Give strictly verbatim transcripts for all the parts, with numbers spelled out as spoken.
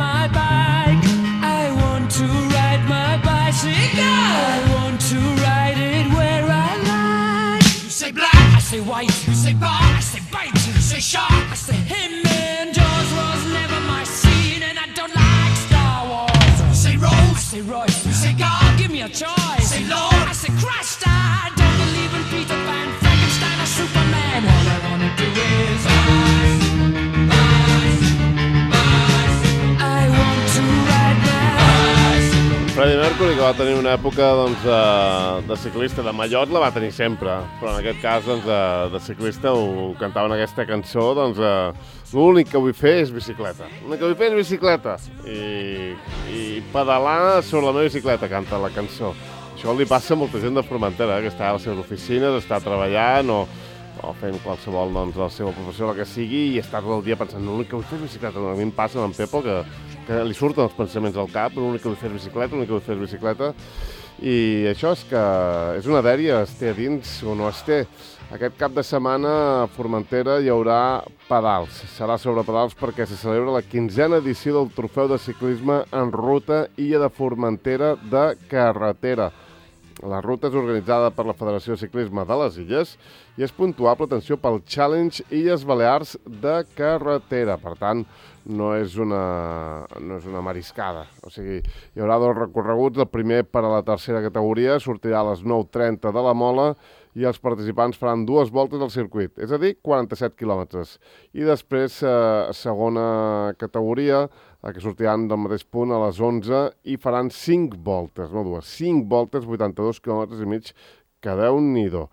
my bike. I want to ride my bicycle. I want to ride it where I like. You say black, I say white. You say bar, I say bite. You say shark, I say him. And Jaws was never my scene, and I don't like Star Wars. You say Rose, I say Royce. You say God, give me a choice. Say Lord, I say Christ. I don't believe in Peter Pan, Frankenstein, or Superman. All I wanna do is rise, rise, rise. I want to ride my Freddie Mercury, que va tenir una època doncs, de, de ciclista, de mallot la va tenir sempre, però en aquest cas doncs, de, de ciclista ho cantava en aquesta cançó, doncs eh, l'únic que vull fer és bicicleta. L'únic que vull fer és bicicleta i, i pedalar sobre la meva bicicleta, canta la cançó. Això li passa a molta gent de Formentera, eh, que està a les seves oficines, està treballant o, o fent qualsevol doncs, la seva professió, la que sigui, i està tot el dia pensant, l'únic que vull fer és bicicleta. A mi em passa amb en Pepo que, que li surten els pensaments al cap, l'únic que vull fer és bicicleta, l'únic que vull fer és bicicleta, i això és que és una dèria, es té a dins o no es té. Aquest cap de setmana a Formentera hi haurà pedals. Serà sobre pedals perquè se celebra la quinzena edició del Trofeu de Ciclisme en Ruta Illa de Formentera de Carretera. La ruta és organitzada per la Federació de Ciclisme de les Illes i és puntuable, atenció, pel Challenge Illes Balears de Carretera. Per tant, no és una, no és una mariscada. O sigui, hi haurà dos recorreguts. El primer per a la tercera categoria sortirà a les nou trenta de la Mola i els participants faran dues voltes al circuit, és a dir, quaranta-set quilòmetres. I després, eh, segona categoria, que sortiran del mateix punt a les onze i faran cinc voltes, no dues, cinc voltes, vuitanta-dos quilòmetres i mig, que Déu-n'hi-do.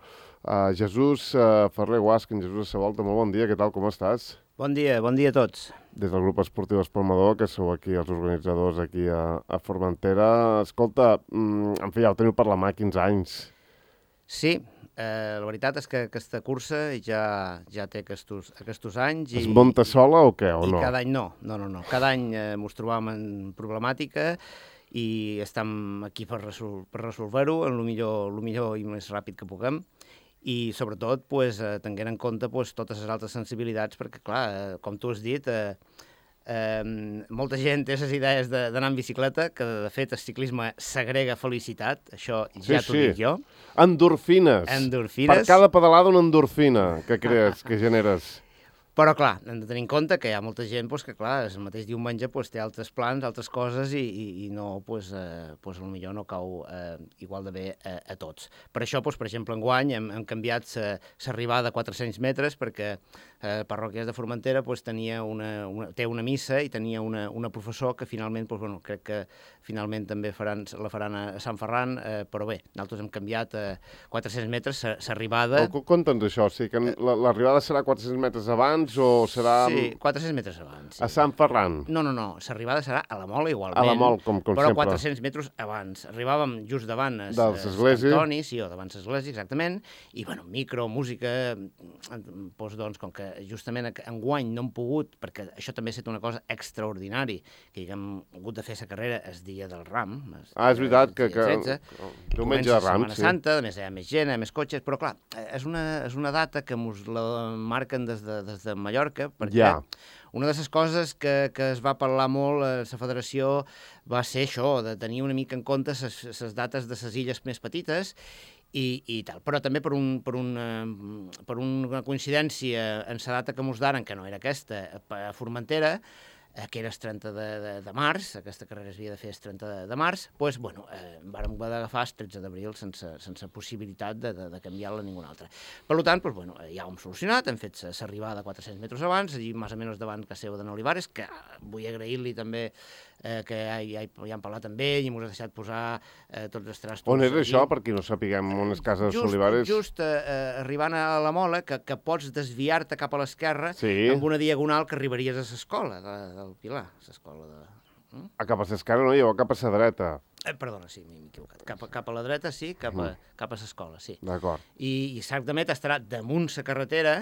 Uh, Jesús uh, Ferrer Guasc, en Jesús Savolta, molt bon dia, què tal, com estàs? Bon dia, bon dia a tots. Des del grup esportiu Espalmador, que sou aquí els organitzadors aquí a, a Formentera. Escolta, mm, en fi, ja ho teniu per la mà quinze anys. Sí, eh, la veritat és que aquesta cursa ja, ja té aquests, aquests anys. I, es munta sola o què, o i no? Cada any no, no, no, no. Cada any eh, ens trobàvem en problemàtica i estem aquí per, resol per resolver-ho en el millor, el millor i més ràpid que puguem. I sobretot pues, eh, tenint en compte pues, totes les altres sensibilitats, perquè clar, eh, com tu has dit, eh, eh, molta gent té les idees d'anar en bicicleta, que de fet el ciclisme segrega felicitat, això sí, ja t'ho sí. dic jo. Endorfines. Endorfines. Per cada pedalada una endorfina que crees, que generes. Però, clar, hem de tenir en compte que hi ha molta gent pues, que, clar, el mateix diumenge pues, té altres plans, altres coses, i, i, i no, pues, eh, pues, potser no cau eh, igual de bé a, a tots. Per això, pues, per exemple, enguany hem, hem canviat l'arribada a quatre-cents metres, perquè eh, Parròquies de Formentera pues, tenia una, una, té una missa i tenia una, una professor que finalment, pues, bueno, crec que finalment també faran, la faran a Sant Ferran, eh, però bé, nosaltres hem canviat a quatre-cents metres l'arribada. Oh, conta'ns això, o sigui que l'arribada serà quatre-cents metres abans o serà... Sí, quatre-cents metres abans. Sí. A Sant Ferran? No, no, no, l'arribada serà a la Mola igualment. A la Mola, com, com però sempre. Però quatre-cents metres abans. Arribàvem just davant es, de l'església. Antoni, sí, o davant l'església, exactament, i, bueno, micro, música, doncs, doncs, com que justament enguany no hem pogut, perquè això també ha estat una cosa extraordinària, que hem hagut de fer la carrera el dia del Ram. Ah, és veritat, que... que... Diumenge de Ram, sí. Santa, a més hi ha més gent, hi ha més cotxes, però clar, és una, és una data que ens la marquen des de, des de Mallorca, perquè ja. Una de les coses que, que es va parlar molt a la federació va ser això, de tenir una mica en compte les dates de les illes més petites i, i tal. Però també per, un, per, una, per una coincidència en la data que mos daren, que no era aquesta, a Formentera, que era el trenta de, de, de març, aquesta carrera es havia de fer el trenta de, de març, doncs, bueno, eh, vàrem haver d'agafar el tretze d'abril sense, sense possibilitat de, de, de canviar-la a ningú altre. Per tant, doncs, bueno, ja ho hem solucionat, hem fet l'arribada a quatre-cents metres abans, allí més o menys davant que seu d'en Olivares, que vull agrair-li també eh, que ja, ja, ja hem parlat amb ell i ens ha deixat posar eh, tots els trastos. On és allí. Això, per qui no sapiguem on és casa just, Olivares? Just eh, arribant a la Mola, que, que pots desviar-te cap a l'esquerra sí. amb una diagonal que arribaries a l'escola de, del Pilar, l'escola de... Mm? A cap a l'esquerra no, jo cap a la dreta. Eh, perdona, sí, m'he equivocat. Cap a, cap a la dreta, sí, cap a, mm. cap a l'escola, sí. D'acord. I, i exactament estarà damunt la carretera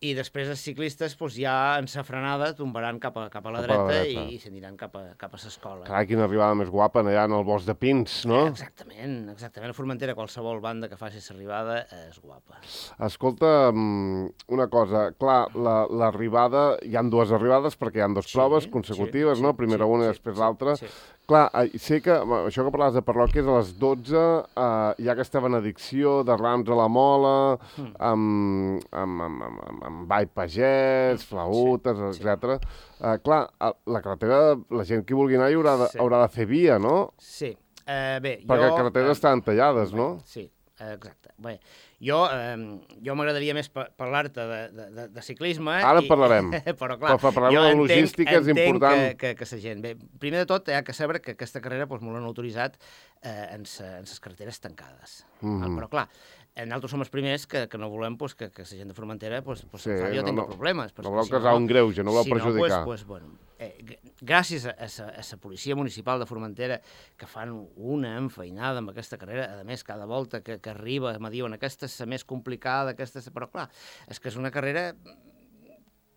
i després els ciclistes doncs, ja en sa frenada tombaran cap a, cap a la Cap a dreta, la dreta. i, i s'aniran cap a, cap a l'escola. Carai, quina arribada més guapa allà en el bosc de Pins, no? Exactament, exactament. A Formentera qualsevol banda que faci l'arribada és guapa. Escolta, mm, una cosa, clar, la- l'arribada, hi han dues arribades perquè hi han dues Sí, proves sí, consecutives, sí, no? Primera sí, una i sí, després sí, l'altra. sí. Clar, eh, sé que, bueno, això que parlaves de parròquies, a les dotze eh, hi ha aquesta benedicció de rams a la mola, Mm. amb, amb, amb, amb, amb, amb ball pagès, flautes, sí. etcètera. Eh, clar, a- la carretera, la gent que vulgui anar hi haurà de, Sí. haurà de fer via, no? Sí. Eh, bé, Perquè jo... les carreteres eh, estan tallades, no? Sí, eh, exacte. Bé, jo, eh, jo m'agradaria més pa- parlar-te de, de, de, de ciclisme. Ara en parlarem. Però, clar, Però parlarem jo de entenc, logística, és entenc important. Que, que, que la gent... Bé, primer de tot, hi ha que saber que aquesta carrera doncs, molt l'han autoritzat eh, en les carreteres tancades. Mhm. Però, clar, eh, nosaltres som els primers que, que no volem pues, que, que la gent de Formentera pues, pues, Sí, sí, jo no, tinc no. problemes. No perquè voleu si causar un greuge, no voleu si perjudicar. No, pues, pues, bueno, eh, g- gràcies a, a, sa, a la policia municipal de Formentera, que fan una enfeinada amb aquesta carrera, a més, cada volta que, que arriba me diuen aquesta és la més complicada, aquesta és... Però, clar, és que és una carrera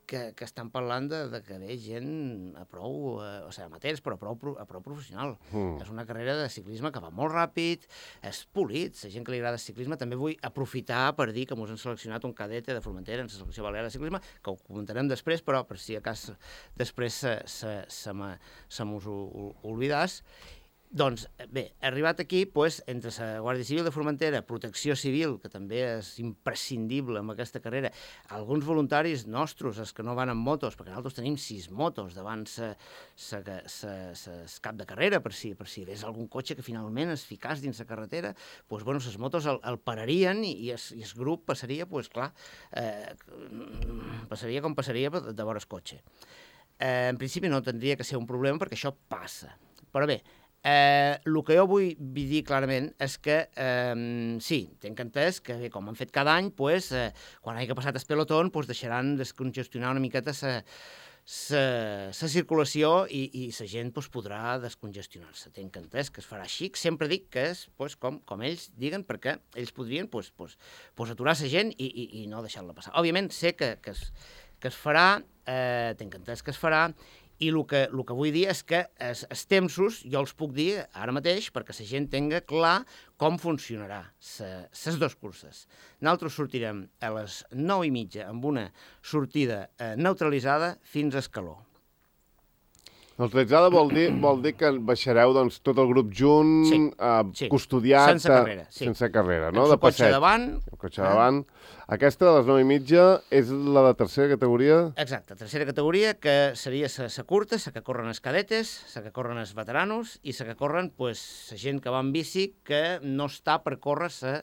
que, que estan parlant de, de que ve gent a prou, eh, o sigui, amateurs, però a prou, pro- a prou professional. Mm. És una carrera de ciclisme que va molt ràpid, és polit, la gent que li agrada el ciclisme. També vull aprofitar per dir que mos han seleccionat un cadete de Formentera en la selecció balear de ciclisme, que ho comentarem després, però per si a cas després se, se, se, me, se mos ho, ho oblidàs. Doncs, bé, arribat aquí, pues, entre la Guàrdia Civil de Formentera, Protecció Civil, que també és imprescindible en aquesta carrera, alguns voluntaris nostres, els que no van amb motos, perquè nosaltres tenim sis motos davant sa, sa, sa, sa, sa cap de carrera, per si, per si hi hagués algun cotxe que finalment es ficàs dins la carretera, doncs, bueno, les motos el, el pararien i, i, es, i el grup passaria, doncs, clar, eh, passaria com passaria de, de vora el cotxe. Eh, en principi no tindria que ser un problema perquè això passa. Però bé, Eh, el que jo vull dir clarament és que, eh, sí, tenc entès que, bé, com han fet cada any, pues, eh, quan hagi passat el pelotón, pues, deixaran descongestionar una miqueta la circulació i, i la gent pues, podrà descongestionar-se. Tenc entès que es farà així. Sempre dic que és pues, com, com ells diguen, perquè ells podrien pues, pues, pues, aturar la gent i, i, i no deixar-la passar. Òbviament, sé que, que, es, que es farà, eh, tenc entès que es farà, i el que, el que vull dir és que els, els tempsos jo els puc dir ara mateix perquè la gent tenga clar com funcionarà les dues curses. Nosaltres sortirem a les nou i mitja amb una sortida eh, neutralitzada fins a Escaló. Neutralitzada vol dir, vol dir que baixareu doncs, tot el grup junt, Sí, eh, sí. custodiat... Sense carrera, sí. Sense carrera, no? Amb De el cotxe passeig. davant. El cotxe davant. Aquesta, de les nou i mitja, és la de tercera categoria? Exacte, tercera categoria, que seria la curta, la que corren els cadetes, la que corren els veteranos i la que corren pues, la gent que va en bici que no està per córrer la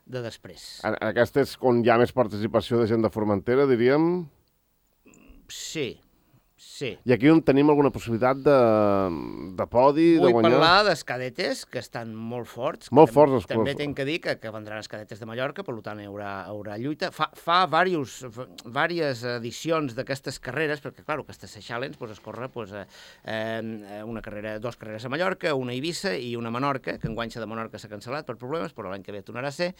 de després. En- Aquesta és on hi ha més participació de gent de Formentera, diríem. Sí, sí. I aquí on tenim alguna possibilitat de, de podi, Vull de guanyar? parlar dels cadetes, que estan molt forts. que Molt tam- forts, els També curs. tinc que dir que, que vendran els cadetes de Mallorca, per tant hi haurà, haurà lluita. Fa, fa varios, diverses edicions d'aquestes carreres, perquè, clar, aquestes Seychelles pues, es corre pues, eh, eh, una carrera, dos carreres a Mallorca, una a Eivissa i una a Menorca, que enguany la de Menorca s'ha cancel·lat per problemes, però l'any que ve tornarà a ser.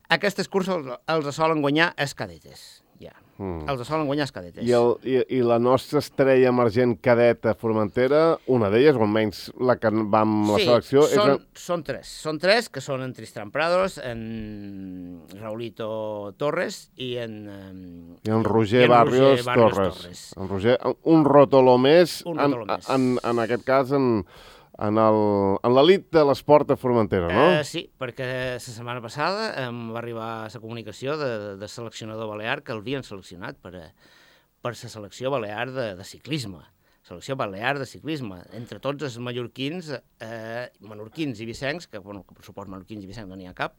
Aquestes curses els, els solen guanyar els cadetes, ja. Mm. Els solen guanyar els cadetes. I, el, i, I la nostra estrella emergent cadeta Formentera, una d'elles, o almenys la que va amb la Sí, selecció... són, és... són tres. Són tres, que són en Tristran Prados, en Raulito Torres i en... em, I en Roger, i en Barrios, Roger Barrios Torres. Torres. En Roger, un rotoló més, Un en, rotoló més. En, en aquest cas, en, en el- en l'elit de l'esport a Formentera, no? Eh, sí, perquè la setmana passada em va arribar la comunicació de, de seleccionador balear que l'havien seleccionat per a, per la selecció balear de, de ciclisme. Selecció balear de ciclisme. Entre tots els mallorquins, eh, menorquins i vicencs, que, bueno, que per suport menorquins i vicencs no n'hi ha cap,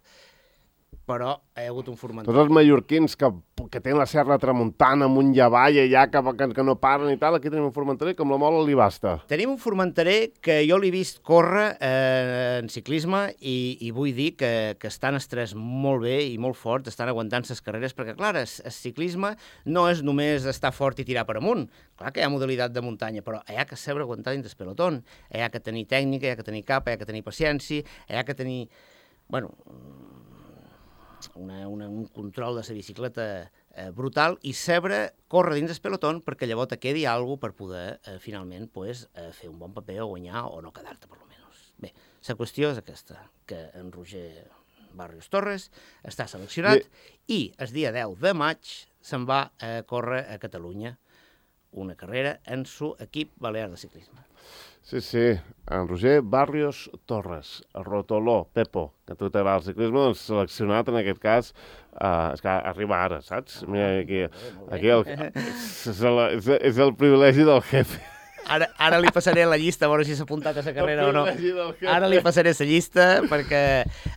però hi ha hagut un formentor. Tots els mallorquins que, que tenen la serra tramuntana amunt i avall, allà que, que, que no paren i tal, aquí tenim un formenterer que amb la mola li basta. Tenim un formenterer que jo l'he vist córrer eh, en ciclisme i, i vull dir que, que estan els tres molt bé i molt forts, estan aguantant les carreres, perquè, clar, el, el ciclisme no és només estar fort i tirar per amunt. Clar que hi ha modalitat de muntanya, però hi ha que saber aguantar dins del pelotón. Hi ha que tenir tècnica, hi ha que tenir capa, hi ha que tenir paciència, hi ha que tenir... Bueno, una, una, un control de la bicicleta eh, brutal i saber córrer dins el pelotón perquè llavors te quedi alguna cosa per poder eh, finalment pues, eh, fer un bon paper o guanyar o no quedar-te per lo menos. Bé, la qüestió és aquesta, que en Roger Barrios Torres està seleccionat I... i el dia deu de maig se'n va a córrer a Catalunya una carrera en su equip balear de ciclisme. Sí, sí, en Roger Barrios Torres, el rotoló, Pepo, que tu t'agrada el ciclisme, doncs seleccionat en aquest cas, uh, és que arriba ara, saps? Mira, aquí, aquí el, és, el, és, és el privilegi del jefe. Ara, ara li passaré la llista, a veure si s'ha apuntat a la carrera o no. Ara li passaré la llista, perquè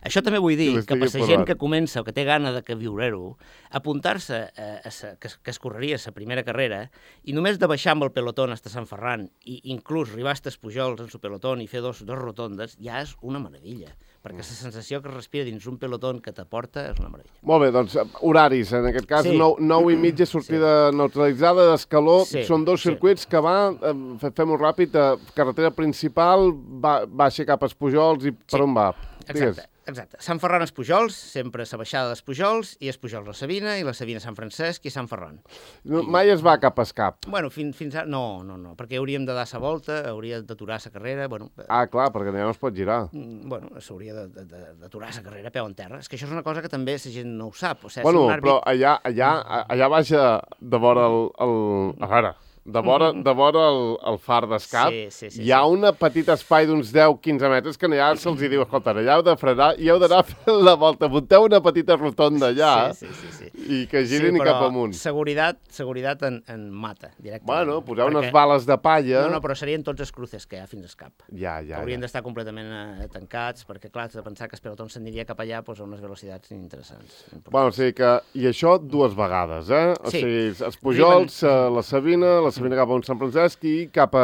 això també vull dir, que per la gent que comença o que té gana de que viure-ho, apuntar-se a, a sa, que, que es correria la primera carrera i només de baixar amb el pelotón hasta Sant Ferran i inclús arribar a els Pujols en su pelotón i fer dos, dos rotondes, ja és una meravella, perquè la sensació que es respira dins un pelotón que t'aporta és una meravella. Molt bé, doncs horaris, en aquest cas, sí. nou i mitja, sortida sí. neutralitzada d'Escaló, sí. són dos circuits sí. que va... Eh, fem-ho ràpid, carretera principal, va, baixa cap als Pujols i per sí. on va? Exacte, exacte. Sant Ferran als Pujols, sempre la baixada dels Pujols, i els Pujols la Sabina, i la Sabina Sant Francesc i Sant Ferran. No, I... Mai es va cap a Escap? Bueno, fins, fins a... No, no, no, perquè hauríem de dar la volta, hauria d'aturar la carrera, bueno... Ah, clar, perquè ja no es pot girar. Bueno, s'hauria d'aturar la carrera a peu en terra. És que això és una cosa que també la gent no ho sap. O sigui, bueno, si àrbit... però allà, allà, allà baixa de vora el... el... A veure... De vora, de vora el, el far d'Escap, sí, sí, sí, hi ha sí. un petit espai d'uns deu a quinze metres que allà se'ls diu, escolta, allà heu de frenar i heu d'anar fent la volta. Munteu una petita rotonda allà sí, sí, sí, sí. i que girin sí, cap amunt. Seguretat, seguretat en, en mata, directament. Bueno, poseu perquè... unes bales de palla... No, no, però serien tots els cruces que hi ha fins a Escap. Ja, ja, Haurien ja. d'estar completament eh, tancats, perquè, clar, has de pensar que el pelotó s'aniria cap allà pues, a unes velocitats interessants. Bueno, o sigui que... I això dues vegades, eh? O sí. sigui, els Pujols, Rimen... la Sabina, la Sabina cap a un Sant Francesc, i cap a,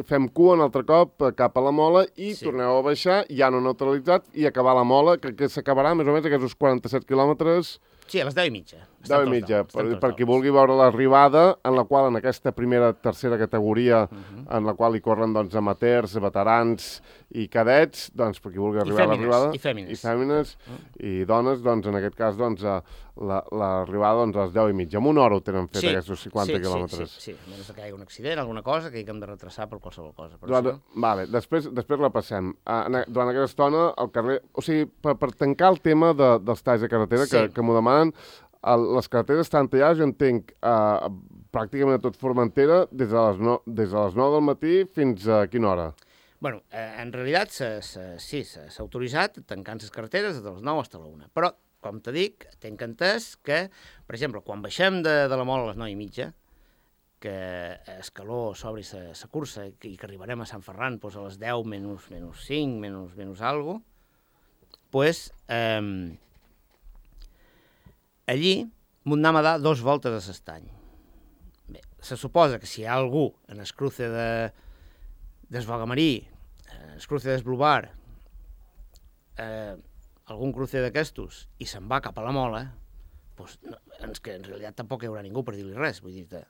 fem cua un altre cop cap a la Mola i sí. torneu a baixar, ja no neutralitzat, i acabar la Mola, que, que s'acabarà més o menys aquests quaranta-set quilòmetres... Sí, a les deu i mitja. deu i mitja, per, per qui vulgui veure l'arribada, en la qual en aquesta primera, tercera categoria, uh -huh. en la qual hi corren doncs, amateurs, veterans i cadets, doncs per qui vulgui arribar a l'arribada... I fèmines. I fèmines, uh -huh. i dones, doncs en aquest cas, doncs, l'arribada doncs, a les deu i mitja. En una hora ho tenen fet, sí. aquests cinquanta sí, quilòmetres. Sí, sí, sí, a menys que hi hagi un accident, alguna cosa, que hi hem de retrasar per qualsevol cosa. Per durant, això... Vale, després, després la passem. Uh, durant aquesta estona, al carrer... O sigui, per, per tancar el tema de, dels talls de carretera, sí. que, que m'ho demanen, el, les carreteres estan tallades, jo entenc, uh, pràcticament a tot Formentera, des de, les no, des de les nou del matí fins a quina hora? Bueno, eh, en realitat se, se, sí, s'ha autoritzat tancant les carreteres de les nou fins a la una, però, com te dic, tenc entès que, per exemple, quan baixem de, de la Mola a les nou i mitja, que Escaló s'obri la cursa i que, i que arribarem a Sant Ferran pues, a les deu menys, menys cinc, menys, menys algo, pues, eh, allí m'ho anem a dar dos voltes a l'estany. Bé, se suposa que si hi ha algú en el cruce de, del Bogamarí, en el cruce del Blubar, eh, algun cruce d'aquestos, i se'n va cap a la Mola, pues, no, és que en realitat tampoc hi haurà ningú per dir-li res, vull dir-te,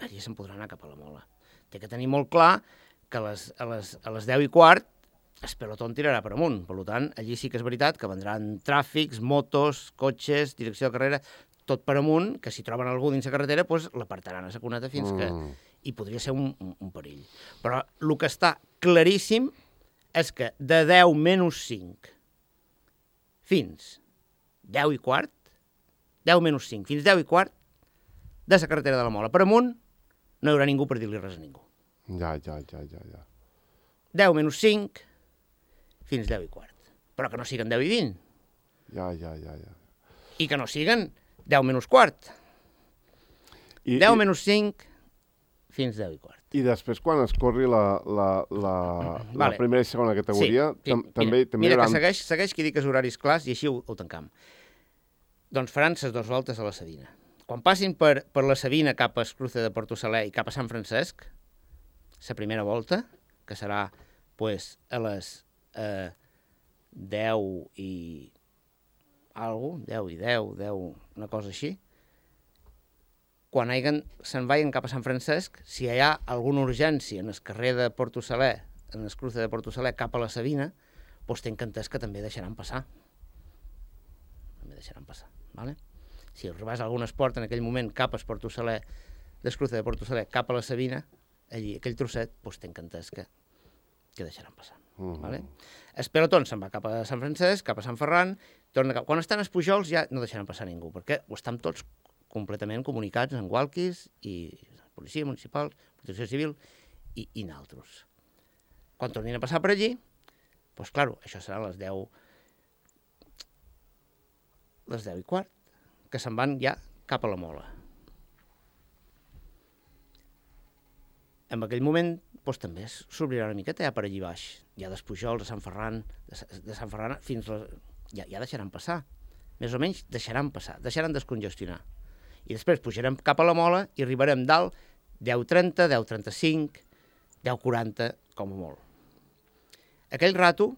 allí se'n podrà anar cap a la Mola. Té que tenir molt clar que a les, a les, a les deu i quart el pelotón tirarà per amunt. Per tant, allí sí que és veritat que vendran tràfics, motos, cotxes, direcció de carrera, tot per amunt, que si troben algú dins la carretera, pues, l'apartaran a la cuneta fins que... Mm. I podria ser un, un, un perill. Però el que està claríssim és que de deu menys cinc fins deu i quart, deu menys cinc fins deu i quart, de la carretera de la Mola per amunt, no hi haurà ningú per dir-li res a ningú. Ja, ja, ja, ja, ja. deu menys cinc fins deu i quart. Però que no siguen deu i vint. Ja, ja, ja, ja. I que no siguen deu menys quart. I, deu menys cinc fins deu i quart. I després, quan es corri la, la, la, vale. la primera i segona categoria, sí, tam, també, mira, també mira hauran... que segueix, segueix que dic els horaris clars i així ho, ho tancam. Doncs faran les dues voltes a la Sabina. Quan passin per, per la Sabina cap a Escruce de Porto Saler i cap a Sant Francesc, la primera volta, que serà pues, a les eh, deu i algo, deu i deu, deu, una cosa així, quan haguen, se'n vagin cap a Sant Francesc, si hi ha alguna urgència en el carrer de Porto Saler, en Escruce de Porto Saler cap a la Sabina, doncs tenc entès que també deixaran passar. deixaran passar. Vale? Si arribàs a algun esport en aquell moment cap a Esport Saler, d'Escruce de Porto Saler, cap a la Sabina, allí, aquell trosset, doncs t'encantàs que, que deixaran passar. Uh -huh. Vale? El pelotón se'n va cap a Sant Francesc, cap a Sant Ferran, torna cap... Quan estan els Pujols ja no deixaran passar ningú, perquè ho estan tots completament comunicats en walkies i policia municipal, protecció civil i, i naltros. Quan tornin a passar per allí, doncs, clar, això serà a les deu, les deu i quart, que se'n van ja cap a la Mola. En aquell moment, doncs, també s'obrirà una miqueta ja per allí baix, ja dels Pujols, de Sant Ferran, de, de Sant Ferran fins a... Ja, ja deixaran passar. Més o menys deixaran passar, deixaran descongestionar. I després pujarem cap a la Mola i arribarem dalt deu trenta, deu trenta-cinc, deu quaranta, com a molt. Aquell rato,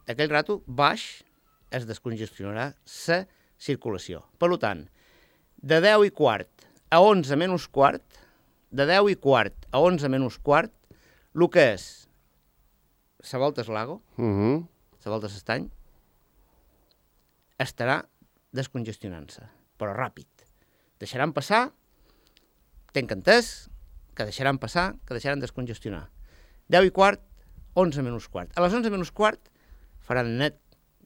aquell rato baix es descongestionarà la circulació. Per tant, de deu i quart a onze menys quart, de deu i quart a onze menys quart, el que és la volta Lago, uh -huh. la volta Estany, estarà descongestionant-se, però ràpid. Deixaran passar, tenc entès, que deixaran passar, que deixaran descongestionar. deu i quart, onze menys quart. A les onze menys quart faran net,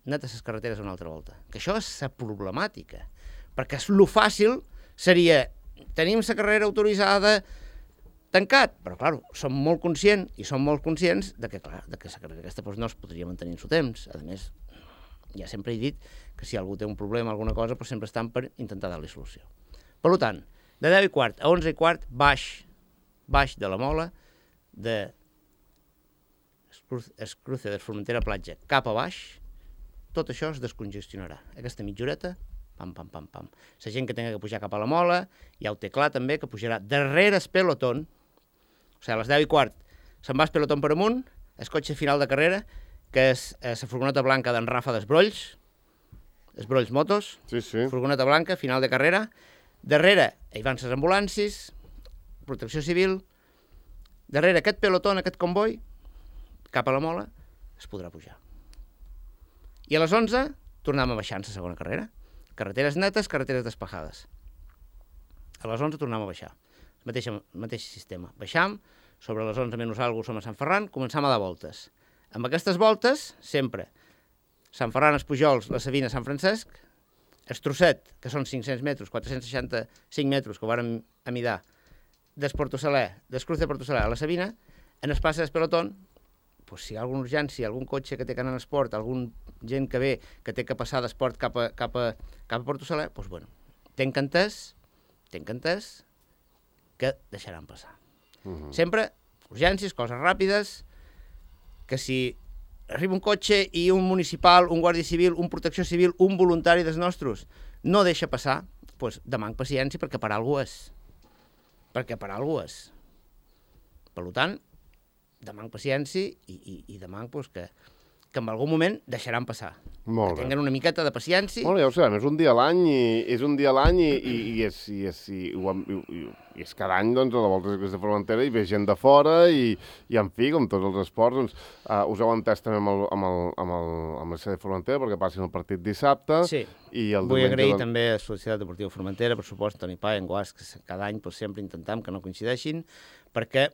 net a les carreteres una altra volta. Que això és la problemàtica. Perquè el fàcil seria, tenim la carrera autoritzada tancat, però, clar, som molt conscients, i som molt conscients de que, clar, de que la carrera aquesta doncs, no es podria mantenir en el temps. A més, ja sempre he dit que si algú té un problema, alguna cosa, doncs sempre estan per intentar dar-li solució. Per tant, de deu i quart a onze i quart, baix, baix de la Mola, de Escruce de Formentera Platja cap a baix, tot això es descongestionarà. Aquesta mitjoreta, pam, pam, pam, pam. La gent que tingui que pujar cap a la Mola, ja ho té clar també, que pujarà darrere el pelotón, o sigui, a les deu i quart se'n va el pelotón per amunt, el cotxe final de carrera, que és la furgoneta blanca d'en Rafa d'Esbrolls, Esbrolls Motos, sí, sí. Furgoneta blanca, final de carrera. Darrere hi van les ambulàncies, protecció civil. Darrere aquest pelotón, aquest comboi, cap a la Mola, es podrà pujar. I a les onze tornem a baixar en la segona carrera. Carreteres netes, carreteres despejades. A les onze tornem a baixar. El mateix, mateix sistema. Baixam, sobre les onze menys alguna som a Sant Ferran, començam a dar voltes. Amb aquestes voltes, sempre, Sant Ferran, els Pujols, la Sabina, Sant Francesc, el trosset, que són cinc-cents metres, quatre-cents seixanta-cinc metres, que ho vàrem amidar, d'Esporto Saler, d'Escruce de Porto Saler a la Sabina, en el pas del pelotón, pues, si hi ha alguna urgència, algun cotxe que té que anar en esport, algun gent que ve, que té que passar d'esport cap a, cap a, cap a Porto Saler, doncs, bueno, tenc entès, tenc entès que deixaran passar. Uh -huh. Sempre urgències, coses ràpides, que si arriba un cotxe i un municipal, un guàrdia civil, un protecció civil, un voluntari dels nostres, no deixa passar, doncs demanc paciència perquè per algú és. Perquè per algú és. Per tant, demanc paciència i, i, i demanc doncs, que, que en algun moment deixaran passar. Molt que bé. tinguen una miqueta de paciència. Molt bé, ja ho sabem, és un dia a l'any i és un dia a l'any i, i, i, és, i, és, i, i, i, i és cada any doncs, a la Volta Ciclista de Formentera hi ve gent de fora i, i en fi, com tots els esports, doncs, uh, us heu entès també amb el, amb el, amb el, amb el C D Formentera perquè passin el partit dissabte. Sí, i el vull diumenge, agrair doncs... també a la Societat Deportiva Formentera, per supost, Toni Pà i en Guas, que cada any doncs, sempre intentem que no coincideixin, perquè,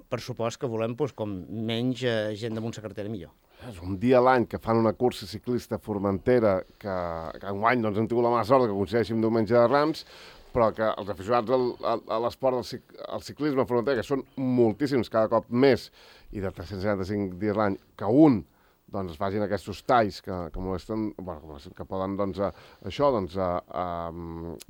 per supost, que volem doncs, com menys eh, gent damunt la carretera millor. És un dia a l'any que fan una cursa ciclista a Formentera que, que enguany doncs, hem tingut la mala sort que coincideixi amb Diumenge de Rams, però que els aficionats al, a l'esport del cic, al ciclisme a Formentera, que són moltíssims cada cop més, i de tres-cents setanta-cinc dies l'any, que un doncs es facin aquests talls que, que molesten, bueno, que poden doncs, a, això, doncs, a, a,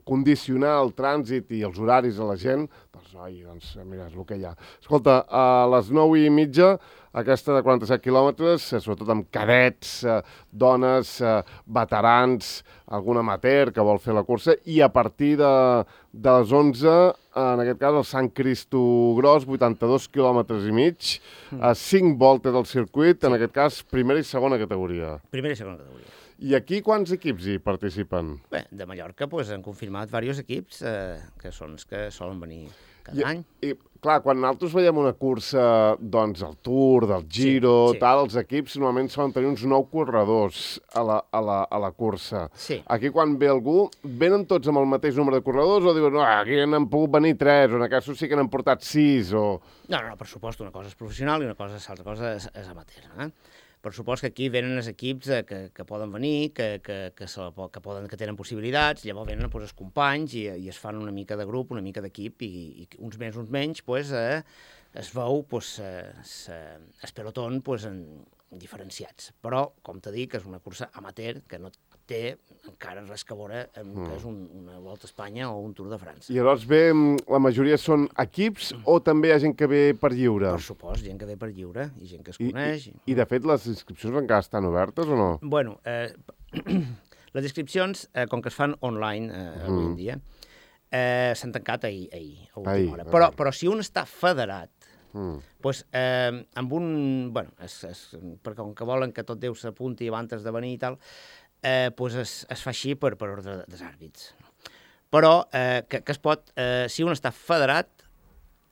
condicionar el trànsit i els horaris a la gent, doncs, oi, doncs, mira, és el que hi ha. Escolta, a les nou i mitja, aquesta de quaranta-set quilòmetres, sobretot amb cadets, eh, dones, eh, veterans, algun amateur que vol fer la cursa, i a partir de, de les onze, en aquest cas, el Sant Cristo Gros, vuitanta-dos quilòmetres i mig, a cinc voltes del circuit, en aquest cas, primera i segona categoria. Primera i segona categoria. I aquí quants equips hi participen? Bé, de Mallorca pues, han confirmat diversos equips eh, que són els que solen venir cada I, any. I, clar, quan nosaltres veiem una cursa, doncs, el Tour, del Giro, Sí, sí. tal, els equips normalment solen tenir uns nou corredors a la, a la, a la cursa. Sí. Aquí, quan ve algú, venen tots amb el mateix número de corredors o diuen, no, aquí n'han pogut venir tres, o en aquest sí que n'han portat sis, o... No, no, no, per supost, una cosa és professional i una cosa, l'altra cosa és, és amateur. Eh? Per supost que aquí venen els equips eh, que, que poden venir, que, que, que, se la, que, poden, que tenen possibilitats, llavors venen pues, els companys i, i es fan una mica de grup, una mica d'equip, i, i uns més, uns menys, pues, eh, es veu pues, eh, se, es peloton pues, en, diferenciats. Però, com t'he dit, és una cursa amateur que no té encara res que veure amb mm. que és un, una Volta a Espanya o un Tour de França. I llavors ve, la majoria són equips o també hi ha gent que ve per lliure? Per supost, gent que ve per lliure i gent que es I, coneix. I, I, de fet, les inscripcions encara estan obertes o no? Bueno, eh, les inscripcions, eh, com que es fan online eh, mm. avui en dia, eh, s'han tancat ahir, ahir a última ahir, hora. Però, però si un està federat, mm. pues, eh, amb un... Bueno, es, es, perquè com que volen que tot Déu s'apunti abans de venir i tal, eh, pues es, es fa així per, per ordre dels àrbits. Però eh, que, que es pot... Eh, si un està federat,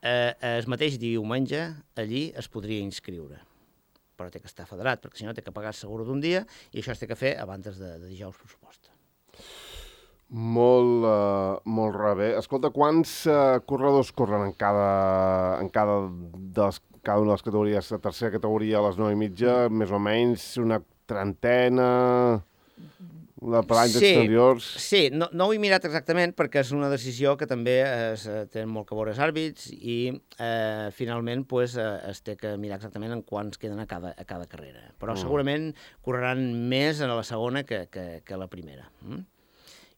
eh, el mateix diumenge allí es podria inscriure. Però té que estar federat, perquè si no té que pagar el seguro d'un dia i això es té que fer abans de, de dijous, per supost. Molt, uh, molt rebé. Escolta, quants uh, corredors corren en cada, en cada, de les, cada una de les categories? La tercera categoria a les nou i mitja, mm. més o menys una trentena... La per anys sí, exteriors... Sí, no, no ho he mirat exactament perquè és una decisió que també es, tenen molt que veure els àrbits i eh, finalment pues, es té que mirar exactament en quants queden a cada, a cada carrera. Però mm. segurament correran més a la segona que, que, que a la primera. Mm?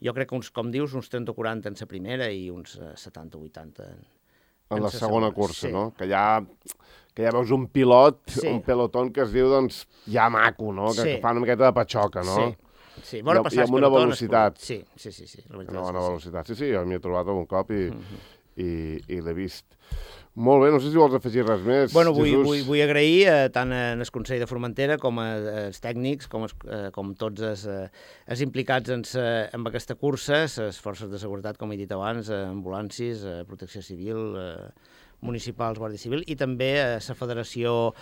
Jo crec que, uns, com dius, uns trenta o quaranta en la primera i uns setanta o vuitanta en, en, en la segona, segona cursa, sí. no? Que ja, que ja veus un pilot, sí. un peloton que es diu, doncs, ja maco, no? Que, sí. que fa una miqueta de patxoca, no? Sí. Sí, bona I, i amb una velocitat. Sí, sí, sí. sí. La una bona velocitat. Sí, sí, jo m'hi he trobat algun cop i, uh -huh. i, i l'he vist. Molt bé, no sé si vols afegir res més, bueno, vull, Jesús. Vull, vull agrair eh, tant al Consell de Formentera com als tècnics, com, es, eh, com tots els, eh, els implicats en, sa, en aquesta cursa, les forces de seguretat, com he dit abans, eh, ambulàncies, eh, protecció civil, eh, municipals, Guàrdia Civil, i també a la Federació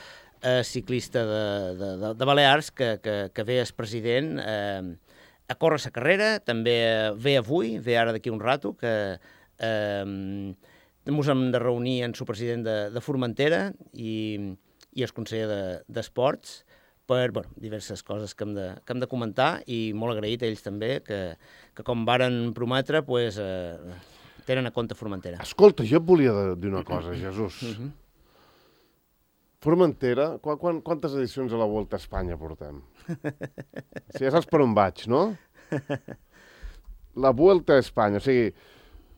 eh, Ciclista de, de, de, de Balears, que, que, que ve el president eh, a córrer la carrera, també ve avui, ve ara d'aquí un rato, que eh, ens hem de reunir amb el president de, de Formentera i, i el conseller d'Esports de, per bueno, diverses coses que hem, de, que hem de comentar i molt agraït a ells també, que, que com varen prometre, pues, eh, tenen a compte Formentera. Escolta, jo et volia dir una cosa, Jesús. Uh -huh. Formentera, qu qu quantes edicions a la Volta a Espanya portem? Si ja saps per on vaig, no? La Volta a Espanya, o sigui,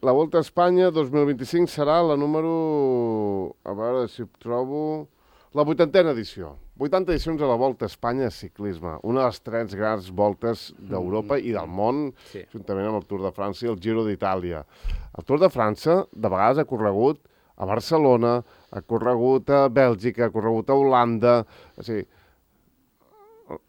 la Volta a Espanya dos mil vint-i-cinc serà la número... A veure si ho trobo... La vuitantena edició. vuitanta edicions a la Volta a Espanya de ciclisme. Una de les tres grans voltes d'Europa i del món, sí. juntament amb el Tour de França i el Giro d'Itàlia. El Tour de França, de vegades, ha corregut a Barcelona, ha corregut a Bèlgica, ha corregut a Holanda... O sigui,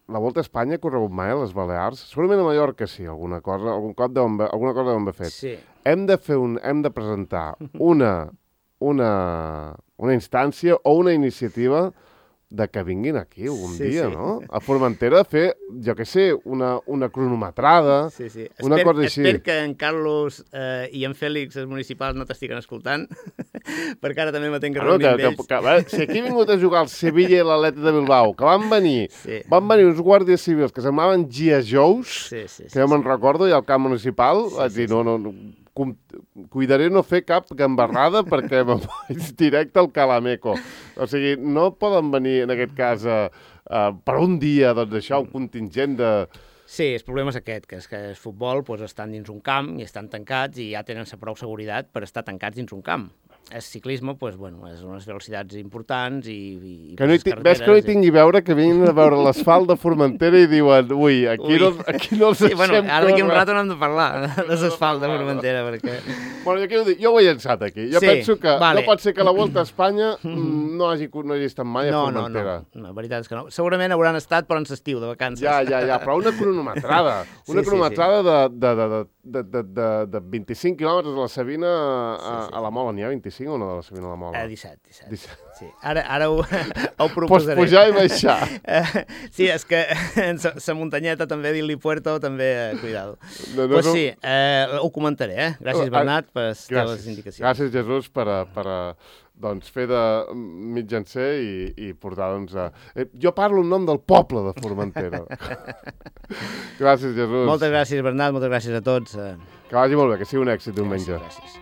la Volta a Espanya ha corregut mai a les Balears? Segurament a Mallorca sí, alguna cosa, algun cop deuen, alguna cosa deuen haver fet. Sí. Hem de fer un, hem de presentar una, una, una instància o una iniciativa de que vinguin aquí un sí, dia, sí. no? A Formentera a fer, jo què sé, una, una cronometrada, sí, sí. una Esper, cosa així. Espero que en Carlos eh, i en Fèlix, els municipals, no t'estiguen escoltant, perquè ara també me tenc que Bueno, reunir que, amb que, ells. que, que, si aquí ha vingut a jugar el Sevilla i l'Atlètic de Bilbao, que van venir, Sí. van venir uns guàrdies civils que semblaven G I Joes, Sí, sí, sí, que jo me'n sí. recordo, i al camp municipal, Sí, vaig sí, dir, no, no, no, com, cuidaré no fer cap gambarrada perquè me'n vaig directe al Calameco. O sigui, no poden venir, en aquest cas, uh, uh, per un dia, doncs això, un contingent de... Sí, el problema és aquest, que és que el futbol pues, estan dins un camp i estan tancats i ja tenen la prou seguretat per estar tancats dins un camp. El ciclisme, pues, bueno, és unes velocitats importants i... i que no hi ves que no hi tingui a veure, que vinguin a veure l'asfalt de Formentera i diuen, ui, aquí, ui. No, aquí no els sí, deixem bueno, ara d'aquí un córrer. rato n'hem de parlar de l'asfalt de Formentera, perquè... Bueno, jo, dic, jo ho he llançat aquí. Jo Sí, penso que vale. no pot ser que la Volta a Espanya mm, no hagi, no hagi estat mai a No, no, Formentera. no, no, la veritat és que no. Segurament hauran estat, però en l'estiu, de vacances. Ja, ja, ja, però una cronometrada. Una Sí, sí, cronometrada de, de, de, de, de, de, de vint-i-cinc quilòmetres de la Sabina a, Sí, sí. a la Mola. N'hi ha vint-i-cinc o no de la Sabina a la Mola? Eh, disset, disset. disset. Sí. Ara, ara ho, ho Pots proposaré. pujar i baixar. Eh, sí, és que la muntanyeta també, dir-li Puerto, també, eh, cuidado. No, no, Pues no. sí, eh, ho comentaré, eh? Gràcies, Bernat, per les teves Gràcies. indicacions. Gràcies, Jesús, per, a, per a, doncs, fer de mitjancer i, i portar, doncs, a... Eh, jo parlo en nom del poble de Formentera. Gràcies, Jesús. Moltes gràcies, Bernat, moltes gràcies a tots. Eh. Que vagi molt bé, que sigui un èxit diumenge. Gràcies, gràcies.